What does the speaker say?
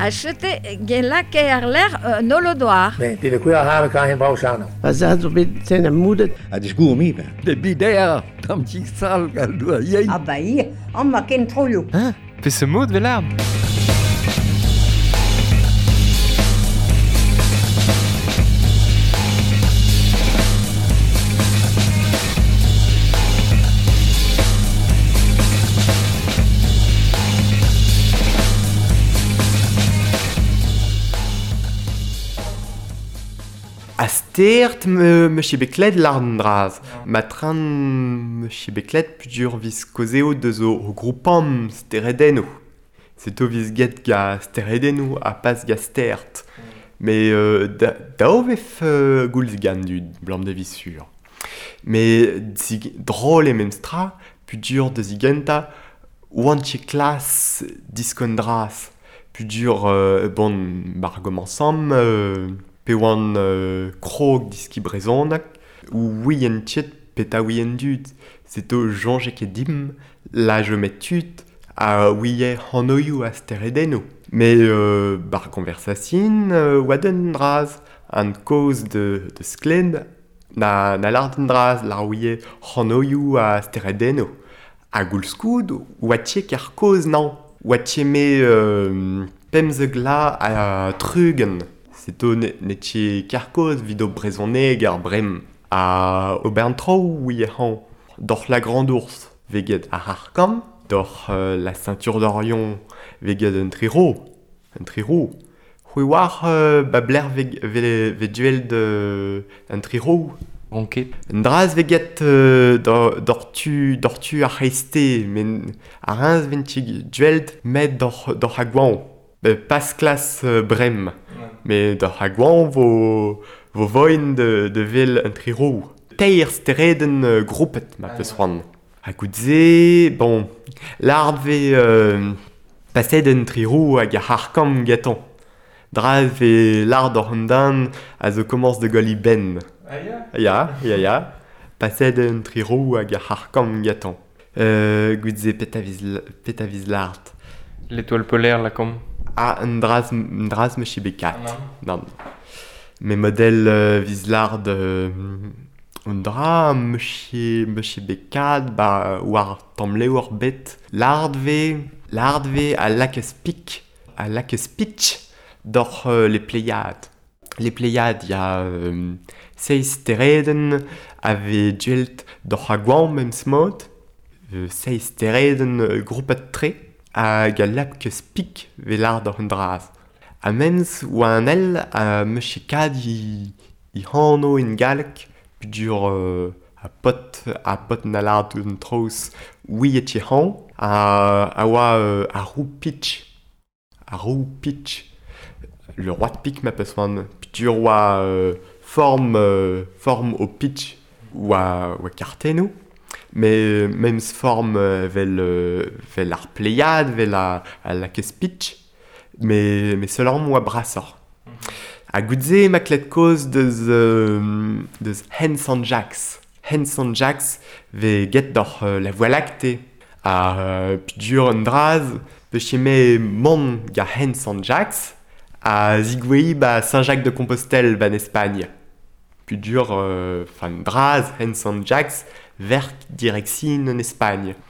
A chete gen lake ar ler nolodoar. Nee, die de koeien halen kan geen bouw staan. Pa zo bet sen am moedet. A discours mi. De bider, tam tik sal gal doa yein. Ah ba ir, an ma ken troioù. Hein? Pe se mod vel A stert me chibeklet l'arn draz. Ma tran me chibeklet pudur vis kozeo deus o groupam steredeno. Seto vis get ga steredeno a pas ga stert. Mais da vef goulz gan du blam de visur. Mais drôle e memstra pudur de zigenta oantche klas diskondras. Pudur bon bargom ensemble pe oan krog diski brezonak, ou ouien tchet peta ouien dud. Seto jonge ket dim, la je met tut, a ouie hanoioù a steredeno. Mais bar konversasin oa den draz, an koz de sklen, na lard den draz, lar ouie hanoioù a steredeno. A goulskoud, oa tche kar koz nan. Oa tche me pemzeg la a trugen. Seto ne tche karkoz vid o brezhoneg ar brem. A obern tro ouie han. Doc'h la grande ours veget ar arkam, doc'h la ceinture d'Orion veget un triro. Un triro. C'hwi war ba bler ve duel de un triro. Ronket. Un draz veget doc'h tu ar c'heiste, men ar rinz ven duel met doc'h a gwan. Pas klas brem. Mais doc'h a gwan vo voin de vel un triro. Teir stereden groupet ma peus c'hoant. A gout-se, bon, lard ve paset un triro hag ar c'harkam gaton. Dra ve lard oc'h an dan a zo komañs de golli ben. Ah ya? Ya, ya, ya. Paset un triro hag ar c'harkam gaton. Gout-se peta viz lard. L'étoile polaire, la com. Ah, un draz me chibekat. Non. Non. Mes modèles viz lard un dra me chibekat ba war tamm levr bet. Lard ve a lakez pik, a lakez pitch doc'h les Pléiades. Les Pléiades, ya seiz stereden a vez duelt doc'h a gwan memes mod. Seiz stereden groupet tre hag a lakez pik ve lard oc'h un draz. A menz oa an el a me chikad i hano in galleg pudur a pot na lard un troz oui et han a oa a roue pitch. A roue pitch. Le roi de pique ma peus oan pudur oa forme au pitch oa karteno. Mais memes forme vel ar pleiad, vel a lakez pitch, mais seulement oa brasor. A goudze ma klet koz deus Hen Sant Jacques. Hen Sant Jacques ve get doc'h la Voie lactée. A pudur un draz, pe cheme mont ga Hen Sant Jacques a zigouei ba Saint-Jacques de Compostelle ban Espagne. Pudur fan draz Hen Sant Jacques verk direction en Espagne.